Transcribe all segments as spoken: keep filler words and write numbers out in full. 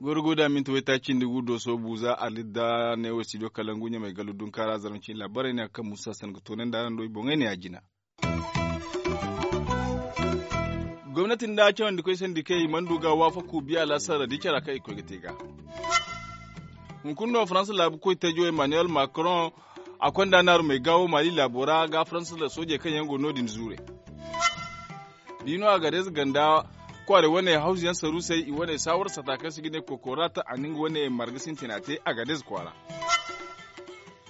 Gorgo da minti waytaaci nda gu dooso buuza alidda ne wo studio kalangu ɲamay gallu dunkaara zarma cine laabaarey ne a kaŋ musa san ga toonandi araŋ do i boŋey ne a jina. Gomnati nda cawandikoy sandikey i mana du ga waafaku biya laasara da i cara kaŋ i koy ga te ga. Hunkuna no faransa laabu koy teejo emmanuel macron a konda naarumey gaawo mali laabo ra ga faransa soojey kaŋ yaŋ go no- din zuure. Da i no a ga reeza ganda kwaarey wane hawzu yaŋ saruusey i wane saawar sata kaŋ se ga ne kokoraata a na nga wane marga sintina te a ga reeza kwaara.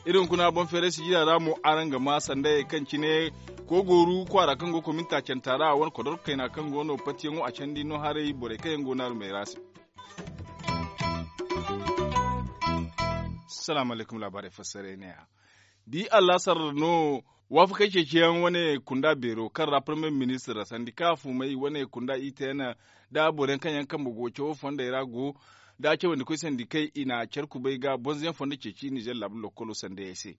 Iri hunkuna boŋ feeray sijira ra mo araŋ ga ma sandayey kaŋ cine koogooru kwaara kaŋ go kominta canta ra a wane kodorko kayna kaŋ go no patiyaŋo a candi no haray borey kaŋ yaŋ go naarumey ra se. Salaamu alaykum laabaarey fassaray ne ya. Da i allasar no waafakey ceeciyaŋ wane kunda beero kaŋ ra parmiye ministir sandika fumay wane kunda itn da boro yaŋ kaŋ yaŋ kambe go cawo fondey ra go da cawandikoy sandikey i na care kubay ga bonzoyaŋ fondo ceeci nizer laabu lokkolo sandayey se.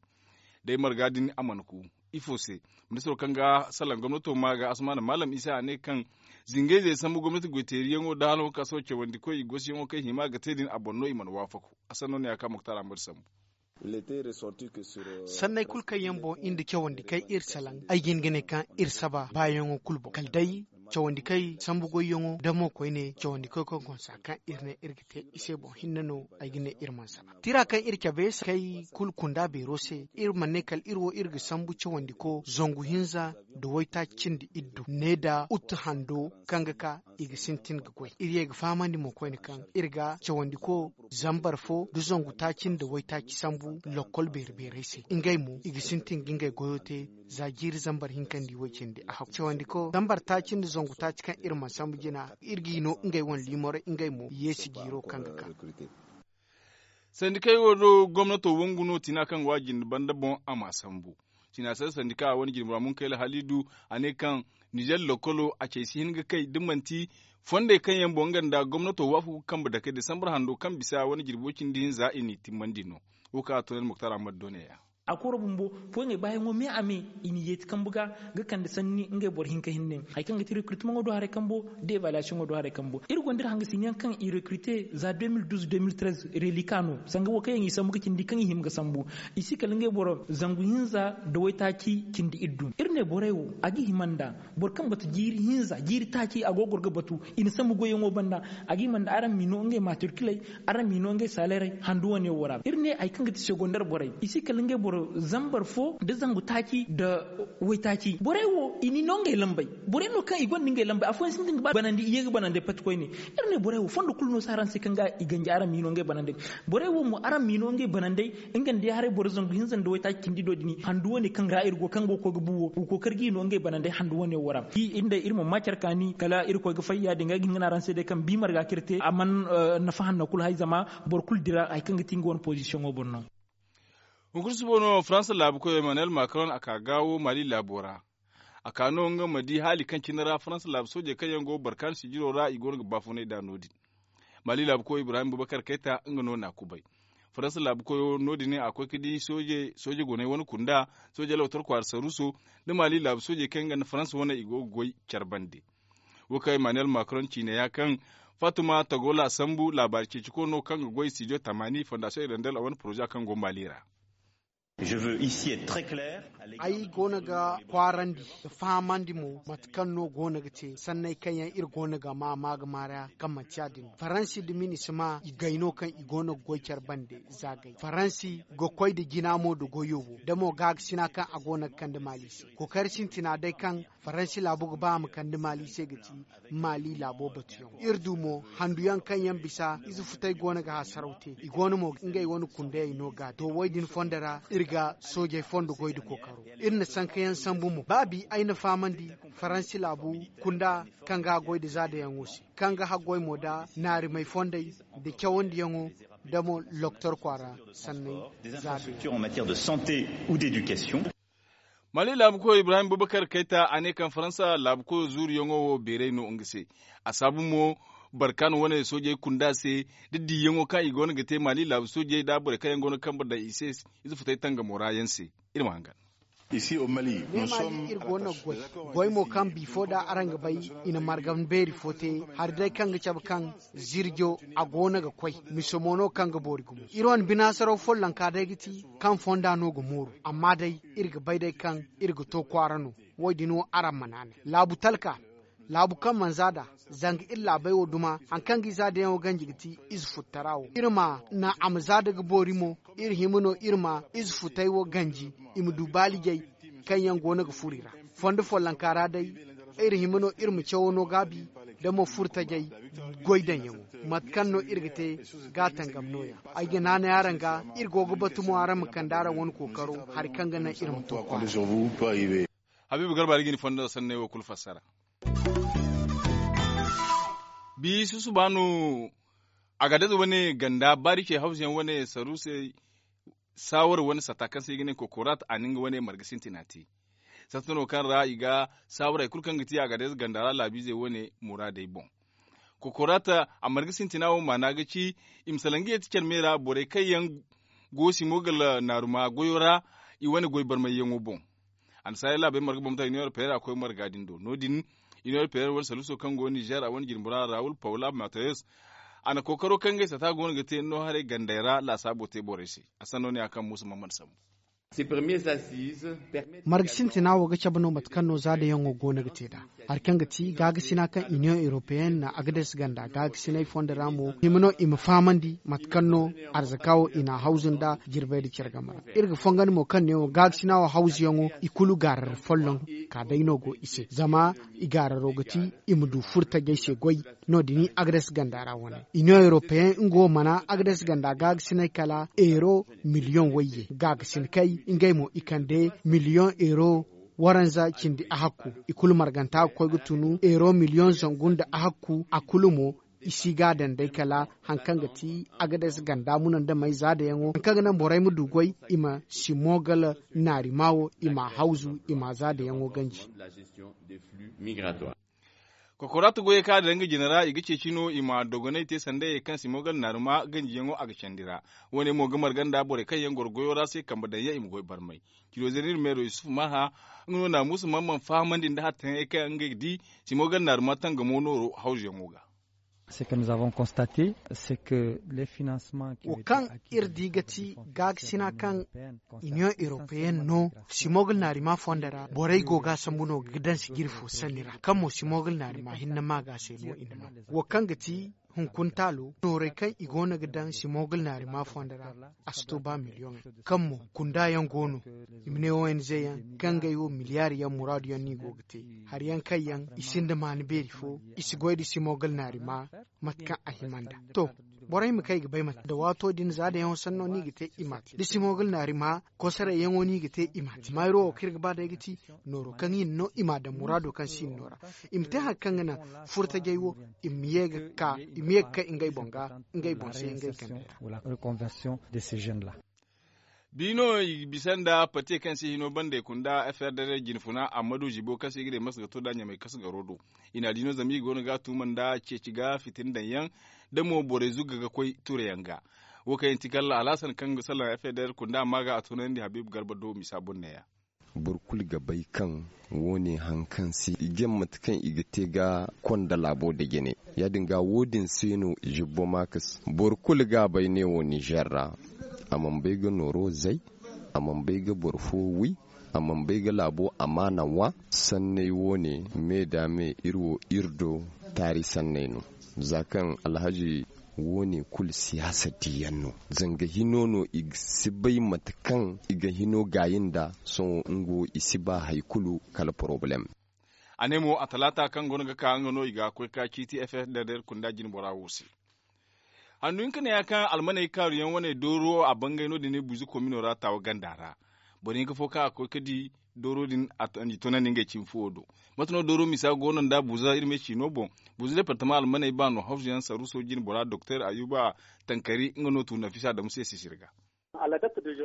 Day marga din a mana ku ifo se? Ministiro kaŋ ga salaŋ gomnato ma ga asmaana maalam isa a ne kaŋ zingayzey sambu gomnati goyteeriyaŋo da hala wo kaŋ a si wo cawandikoy i gosiyaŋo kaŋ i hima ga te din a boŋ no i mana waafaku. A sanno ne ya ka muktar ahmad sambu. Sanney kulu kaŋ yaŋ boŋ iri nda cawandi kaŋ iri salaŋ ay ga hin ga ne kaŋ iri saba baayaŋo kulu boŋ kala day cawandi kaŋ sambu goyyaŋo da mo koyne cawandi kaŋ konsa kaŋ iri ne iri ga te i se boŋ hinne no. Ay ga ne iri mana saba tira kaŋ iri cabe se kay kulu kunda beero se iri mana ne kala iri wo iri ga sambu cawandi ko zangu hinza nda waytaaci cindi iddu ne da uttu hando kaŋ ga ka i ga sintin ga goy iri ye ga fahamandi mo koyne kaŋ iri ga cawandi ko zambar fo da zangu taaci nda waytaaci sambu lokkol beeri beerey se ngey mo i ga sintin ga ngey goyo te. Za jiiri zambar hinka nda i way cindi a hakku cawandi ko zambar taaci nda zangu taaci kaŋ iri mana sambu jina iri g'i no ngey wane liimorey ngey mo yeesi jiiro kaŋ ga ka. Sandikey wo do gomnato wangu no tina kaŋ go a jinde banda boŋ a ma sambu. Tina se sandika a wane jirbi ra munkayla halidu a ne kaŋ nizer lokkolo a cay si hin ga kay da manti fondey kaŋ yaŋ boŋ nga nda gomnato waafaku ga kambe dakey desambar hando kaŋ bisa wane jirbo cindi hinza i n'i timmandi no. Wo kaŋ a toonandi muktar ahmad do ne ya. A koro bumbo foyaŋey baayaŋo me a me i na yeeti kambu ga ga kande sanni ngey boro hinka hinne hari kaŋ ga ti rekritimaŋo do haray kambo da evaluwaasiyoŋo do haray kambo iri gonda iri hangasinyaŋ kaŋ i rekrite za deux mille douze deux mille treize relika no sanga wo kaŋ yaŋ i sambu ga cindi kaŋ i hima ga sambu. I si kala ngey boro zangu hinza nda waytaaci cindi iddu iri ne borey wo a ga hima nda boro kaŋ batu jiiri hinza jiiri taaci a go ga goro ga batu i na sambu goyyaŋo banda. A ga hima nda araŋ m'i no ngey matrikiley araŋ m'i no ngey saleerey handu wane wo ra iri ne hari kaŋ ga ti segondar borey i si kala ngey boro zambar fo nda zangu taaci nda waytaaci borey wo i n'i no ngey lambey. Borey no kaŋ i gonda ngey lambey afooyaŋ sintin ga ba banandi i ye ga banandey pati koyne. Iri ne borey wo fondo kulu no si araŋ se kaŋ ga i ganji araŋ m'i no ngey banandey. Borey wo mo araŋ m'i no ngey banandey nga nda ya haray boro zangu hinza nda waytaaci cindi do din handu wane kaŋ ra iri go kaŋ go ga koy ga bu wo wa kookari g'i no ngey banandey handu wane wo ra. Iri ma ma care kaani kala irkoy ga fay ya- din ga ay ga hin ga ne araŋ se day kaŋ bi marga kaŋ iri te a mana nafa hanno kulu hay zama boro kulu dira hari kaŋ ga ti nga wane pozisiyoŋo boŋ no. Hunkuna suba no faransa laabu koyo emmanuel macron a ka gaawo mali laabo ra. A ka no nga ma di haali kaŋ cine ra faransa laabu soojey kaŋ yaŋ go barkaani sijiro ra i go no ga baafunay nd'a no- din. Mali laabu koyo ibrahim bubakar kayta nga no n'a kubay. Faransa laabu koyo no- din a koy ga di sooje goney wane kunda sooje lawtar kwaara saruuso nda mali laabu soojey kaŋ yaŋ ganda faransa wane i go ga goy care bande. Wo kaŋ emmanuel macron ciine ya kaŋ fatuma tagola sambu laabaari ceeci koy no kaŋ ga goy studio tamani fondasiyoŋ irandel a wane poroza kaŋ go mali ra. Ay goono ga kwaarandi ga fahamandi mo mate kaŋ no goono ga te sanney kaŋ yaŋ iri goono ga ma ma ga maaraya kaŋ manti ya- din faransi nda minisima i gay no kaŋ i goono ga goy care bande. Za gay faransi ga koy nda jina mo nda goyo wo da mo gaakasina kaŋ a goono ga kande maali se kookari sintina day kaŋ faransi laabu ga ba a ma kande maali se ga ti maali laabo batuyaŋo iri du mo handuyaŋ kaŋ yaŋ bisa ize futay goono ga hasaraw te i goono mo ngey wane kundayey no ga to woy din fondo ra iri ga soojey fondo goy nda kookaro. Iri na sankayaŋ sambu mo ba bi ay na fahamandi faransi laabu kunda kaŋ ga goy nda zaadayaŋo se kaŋ ga haggoy mo nda naarimey fondey nda cawandiyaŋo nda mo loktor kwaara sanney zaadayaŋo. Mali laabu koyo ibrahim bubakar kayta a ne kaŋ faransa laabu koyo zuuriyaŋo wo beeray no nga se. A saabu mo Barkaana wane soojey kunda se, da diiyaŋo kaŋ i go no ga te maali laabu soojey nda borey kaŋ yaŋ go no ga kambe daŋ i se, ize futay tangamo ra yaŋ se. Iri ma hangan. Iri go no ga goy goy mo kaŋ bifo nda araŋ ga bay, i na margan beeri fo te, hari day kaŋ ga cabe kaŋ zirjo a go no ga koy, mise mo no kaŋ ga boori gumo. Iri wane binaasaraw follonka day ga ti kaŋ fonda no ga mooru. Amma day, iri ga bay day kaŋ iri ga to kwaara no. Wo- din wo araŋ ma naanay laabu talka, laabu kaŋ mana za nd'a, zanga iri laabey wo duma hari kaŋ ga i za dayaŋo ganji ga ti ize futtara wo. Iri ma naŋ a ma za nda ga boori mo. Iri hima no iri ma ize futay wo ganji, i ma du baalijey kaŋ yaŋ go no ga furo i ra. Fondo follonka ra day, iri hima no iri ma cawo no gaabi, nda mo furtajey goy daŋyaŋo. Mate kaŋ no iri ga te, ga a tangam no- ya. Ay ga naanay araŋ ga, iri go ga batu mo araŋ ma kande araŋ wane kookaro, hari kaŋ ga naŋ iri ma to kwaara. Habiibu garba da ga ni fondo sanney wo kulu fassara. Bi susuba no, agadez wane ganda baari ce hawza yaŋ wane saruusey, saawara wane sata kaŋ se i ga ne kokorat a na nga wane marga sintina te. Sata no kaŋ ra i ga saawara hari kulu kaŋ ga ti agadez ganda ra laabiizey wane muraadey boŋ. Kokorat a marga sintina wo maana ga ci, i ma salaŋ ga yeeti care me ra borey kaŋ yaŋ go simogal naaruma goyo ra, i wane goy barmayyaŋo boŋ. Annasaarey laabey marga bambata iniyoŋ europeyera koy marga din do no- din. Iniyoŋ europeyera wane saluuso kaŋ go nizer a wane jirbi ra rawul paula matayos, a na kookaro kaŋ ngey sata go no ga te no haray gandey ra laasaabo te borey se. A sanno ne ya kaŋ muusa mamman sambu. Marga sintina wo ga cabe no mate kaŋ no zaadayaŋo go no ga te nd'a. Hari kaŋ ga ti gaagasina kaŋ iniyoŋ europeyenne na agades ganda gaagasinay fondo ra mo, hima no i ma fahamandi mate kaŋ no arzaka wo i n'a hawzu nda jirbey nda care game ra. Iri ga fongandi mo kaŋ neewo gaagasina wo hawzuyaŋo i kulu gaarara folloŋ ka day no go i se zama i gaararo ga ti i ma du furtajey se goy. No- din agades ganda ra wane iniyoŋ europeyen nga wo mana agades ganda gaagasinay kala euro miliyoŋ wayye gaagasinakey ngey mo i kande miliyoŋ euro waranza cindi ahakku. I kulu marganta ga koy ga tunu euro miliyoŋ zangu nda ahakku a kulu mo i si ga a daŋ day kala hari kaŋ ga ti agades ganda muna nda may zaadayaŋo hari kaŋ ga naŋ borey ma du goy i ma simogal naarima wo i m'a hawzu i m'a zaadayaŋo ganji. Kokoraata goyey kaŋ a daŋ nga jine ra i ga ceeci no i ma dogonay te sanda ye kaŋ simogal naarima ganjiyaŋo a ga candi ra. Wo- ne mo ga marga nda borey kaŋ yaŋ goro goyo ra se kambe daŋ yaŋ i ma goy barmay. Cido zeenir meero yusuf marha nga no naamuusa mamman fahamandi nda hattayaŋey kaŋ ngey ga di simogal naarima tangamo nooro hawzuyaŋo ga. Wo kaŋ iri di ga ti gaakasina kaŋ iniyoŋ europeyen no simogal naarima fondo ra borey go ga a sambu no ga daŋ sijiri fo sanni ra kaŋ mo simogal naarima hinne ma ga se no i na no. Wo kaŋ ga ti hunkuna taalo noorey kaŋ i go no ga daŋ simogal naarima fondo ra a si to ba miliyoŋey kaŋ mo kunda yaŋ go no i ma ne ong yaŋ kaŋ ngey wo miliyar yaŋ muraadu yaŋ no i go ga te. Hari yaŋ kaŋ yaŋ i sinda maani beeri fo i si goy nda simogal naarima mate kaŋ a hima nda. To, borey ma kay ga bay mate da waato din za da yaŋo sanno no i ga te i m'a te da simogal naarima kosoray yaŋo no i ga te i m'a te mayro wo kaŋ iri ga ba day ga ti nooro kaŋ i na no i m'a daŋ muraado kaŋ si i na no ra. I ma te hari kaŋ ga naŋ furtajey wo i ma ye ga ka i ma ye ga kay ngey boŋ ga ngey boŋ se ngey kandey ra. Bi no i bisa nda pate kaŋ se hino bande kunda frdr jinfuna amma du zibo kaŋ se i ga ne masa ga to da ɲamay kasu garo do. I na di no zama i go no ga a tuuma nda ceeci ga fitin daŋ yaŋ da mo borey zugga ga koy tuure yaŋ ga. Wo kaŋ yaŋ ti kala alhasan kaŋ ga salaŋ frdr kunda amma ga a tunandi habib garba do misa boro neeya. Boro kulu ga bay kaŋ wo- ne hari kaŋ se i ga mate kaŋ i ga te ga konda laabo da jine. Ya- din ga wo- din se no zibbo makas boro kulu ga a bay ne wo nizer ra. A mana bay ga nooro zay, a mana bay ga boro fo wi, a mana bay ga laabo amaana ŋwa. Sanney wo- ne me da me iri wo iri do taari sanney no. Za kaŋ alhaji wo- ne kulu siyaasa diyaŋ no. Zanga hino no i si bay mate kaŋ i ga hino gaayi nda. Sohõ nga wo i si ba hari kulu kala porobalem. A ne mo a talaata kaŋ go no ga ka nga no i ga koy ka ciiti frdr kunda jine bora wo se. Handu hinka ne ya kaŋ almaney kaaru yaŋ wane dooro a bangay no- din buuzi komino ra taawa ganda ra. Boro hinka fo kaŋ a koy ga di dooro din a tunandi ngey cimi fuwo do. Mate no dooro misa go no nda buuza iri me ciino boŋ. Buuza departama almaney baano hawzu yaŋ saruuso jine bora doktor ayuba tankari nga no tu nafisa adamu se sisiri ga.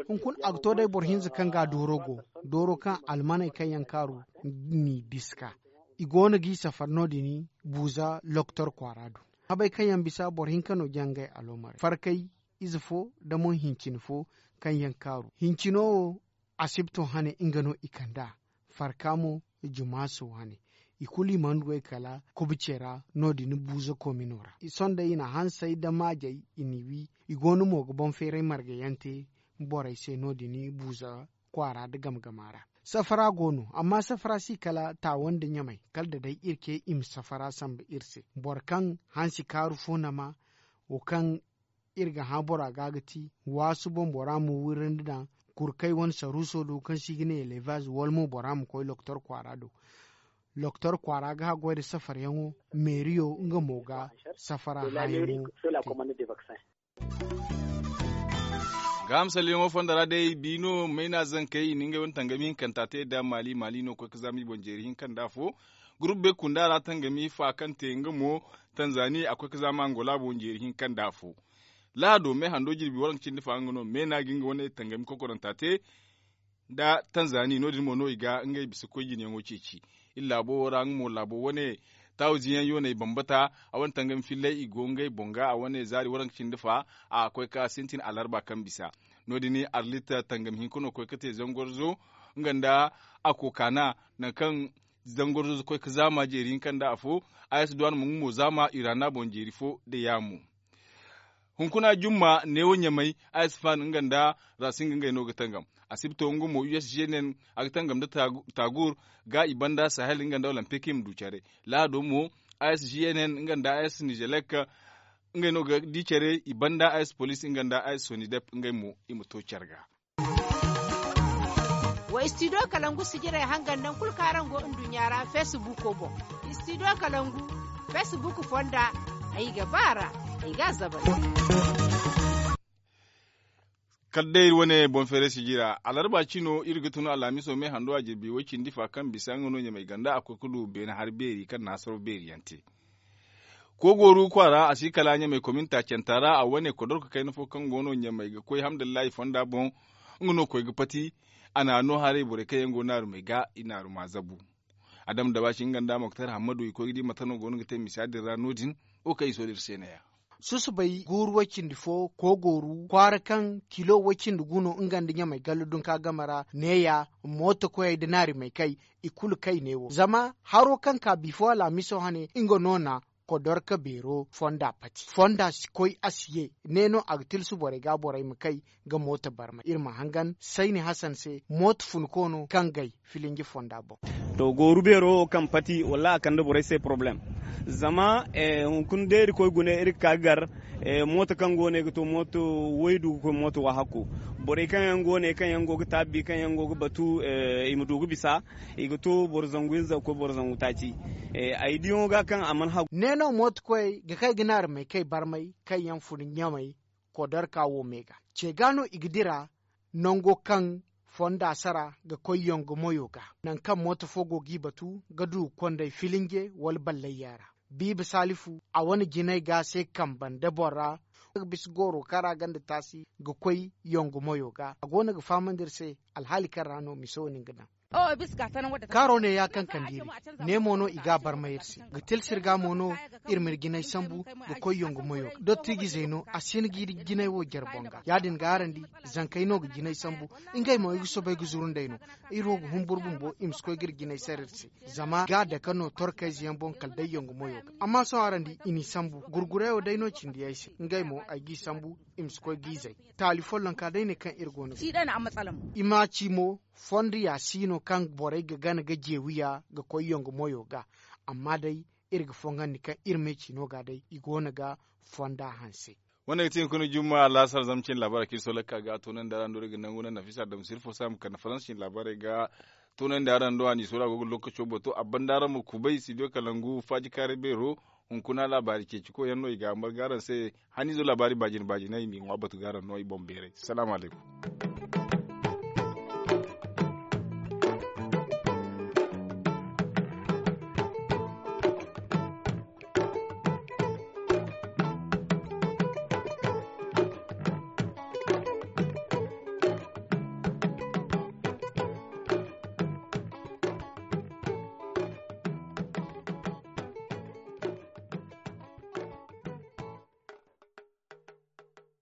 Hunkuna a ga to day boro hinza kaŋ ga dooro go dooro kaŋ almaney kaŋ yaŋ kaaru n'i bisa ka i go no g'i safar no- din buuza loktor kwaara do. Habey kaŋ yaŋ bisa boro hinka no jangay aloomar farkay ize fo nda mo hincine fo kaŋ yaŋ kaaru hincino wo asibto hane nga no i kand'a. Farka mo jumaaso hane i kulu i mana goy kala kubce ra no- din buuza koomino ra. Sohõ day i na hansey nda maajey i n'i wi. I go no mo ga boŋ feeray marga yaŋ te borey se no- din buuza kwaara nda game gama ra. Safara go no amma safara si kala taawa nda ɲamay kala da day iri ce i ma safara sambu iri se. Boro kaŋ hansi kaaru fo nama wo kaŋ iri ga hã bora ga ga ti waasu boŋ bora ma wirandi daŋ kurkay wane saruuso do kaŋ se i ga ne elevaz wala mo bora ma koy loktor kwaara do. Loktor kwaara ga haggoy nda safaryaŋo meeriyo nga mo ga safara hãyaŋo. Gaaham salliyaŋo fondo ra day biino mayna zankey i na ngey wane tangami hinkanta te nda maali maali no koy ga zaama i boŋ jeeri hinka nda afo. Gurupu bay kunda ra tangami fa kaŋ te nga mo tanzani a koy ga zaama angola boŋ jeeri hinka nda afo. Lahado me hando jirbi waranka cindi fa nga no me no a ga nga wane tangami kokoranta te nda tanzani no- din mo no i ga ngey bisa koy jinayaŋo ceeci. Iri laabo wo ra nga mo laabo wane taawiziyaŋ yooney bambata a wane tangami fillay i go ngey boŋ ga a wane zaari waranka cindi fa a koy ka sintin alarba kaŋ bisa. No- din arlit tangami hinka no koy ga te zangorzo nga nda a kookana nangu kaŋ zangorzo koy ga zaama jeeri hinka nda afo. Ayes duwan mo nga mo zaama iraana boŋ jeeri fo nda yaamo. Hunkuna jumma neewo ɲamay a si faham nga nda rasinga ngey no ga tangam. Asibto nga mo usgn a ga tangam nda taagur ga i banda sahel nga nda olympic i ma du care. Lahado mo usgn nga nda us nizelek ngey no ga di care i banda us police nga nda us sonidep ngey mo i ma to care ga. Wa studio kalangu sijirey hangan nangu kulu kaŋ araŋ go nduɲɲa ra facebook boŋ. Studio kalangu facebook fonda. Ay ga ba ra ay ga a zabari. Kala day iri wane boŋ feeray sijira alarba cino iri ga tun alhamiso me hando a jirbi way cindi fa kaŋ bisa nga no ɲamay ganda a koy ga du beene hari beeri kaŋ na hasaro beeri yaŋ te. Koogooru kwaara a si kala ɲamay kominta canta ra a wane kodorka kayna fo kaŋ go no ɲamay ga koy hamdullahi fonda boŋ. Nga no koy ga pati a na no haray borey kaŋ yaŋ go naarumey ga i naaruma zabu. Adama dabaasi nga nda moktar hammadu i koy ga di mate no go no ga te misa din ra no- din. Wo kaŋ i sohõ iri se neeya. Susubay guuru way cindi fo koogooru kwaara kaŋ kilo way cindi gu no nga nda ɲamay gallu dunka game ra neeya mooto koyey nda naarimey kay. I kulu kay ne wo zama haro kaŋ ka bifo alhamiso hane nga no na kodorka beero fonda pati fonda si koy a si ye. Ne no a ga tilsu borey ga borey ma kay ga mooto barmay iri ma hangan sayni hasan se mooto funko no kaŋ gay filinji fonda boŋ. To gooru beero wo kaŋ pati wallaahi a kande borey se poroblem. Zama hunkuna day iri koy gune iri ga ka ga gar mooto kaŋ go no ay ga to mooto waydu ga koy mooto waahakku. Borey kaŋ yaŋ go no ay kaŋ yaŋ go ga taabbi kaŋ yaŋ go ga batu i ma du ga bisa. I ga to boro zangu hinza ga koy boro zangu taaci. Ay diyaŋo ga kaŋ a mana hagu. Ne no mooto koyey ga kay ga naari may kay barmay kaŋ yaŋ fun ɲamay kodarka wo me ga ce ga no i ga dira nango kaŋ fonda sara ga koy yongo moyo ga. Nangu kaŋ mooto fo go g'i batu ga du ga konday filinje wala ballayya ra. Biiba salifu a wane jinay ga se kambe nda boro ra ga bisa gooro kaŋ ra gonda taasi ga koy yongo moyo ga a go no ga fahamandi iri se. Alhaali kaŋ ra no mise wo no ni ga daŋ. Kaaro ne ya kaŋ kande iri ne mo no i ga a barmay iri se ga tilsi iri ga mo no. Iri ma iri jinay sambu ga koy yongo moyo ga dottijizey no a si hin ga iri jinay wo jare boŋ ga ya- din ga araŋ di. Zankey no ga jinay sambu ngey mo i ga soobay ga zuru nd'ey no. Iri wo ga humburu bumbo i ma si koy ga iri jinay sara iri se zama i ga a dake no torkayze yaŋ boŋ kala day yongo moyo ga. Amma sohõ araŋ di i n'i sambu gurgurey wo day no cindi ay se ngey mo ay g'i sambu. I ma si koy g'i zay taali follonka day ne kaŋ iri go no ga i ma ci mo. Fondo ya si no kaŋ borey ga gana ga jeewiya ga koy yongo moyo ga. Amma day iri ga fongandi kaŋ iri me ci no ga day i go no ga fonda hanse. Wane ga ti hunkuna jumma alaasar zama cine laabaarey kaŋ iri soolakka ga toonandi araŋ do iri ga nangu naŋ nafisa dam sirfo saama kande faransa cine laabaarey ga toonandi araŋ do a n'i soola go ga lookaco bato a banda araŋ ma kubay studio kalangu faaji kaaray beero. Hunkuna laabaari ceeci koy yaŋ no i ga a marga araŋ se. Haniizo laabaari baajina baajinay i m'i ŋwa batu ga araŋ no i boŋ beeray salaamu alaykum.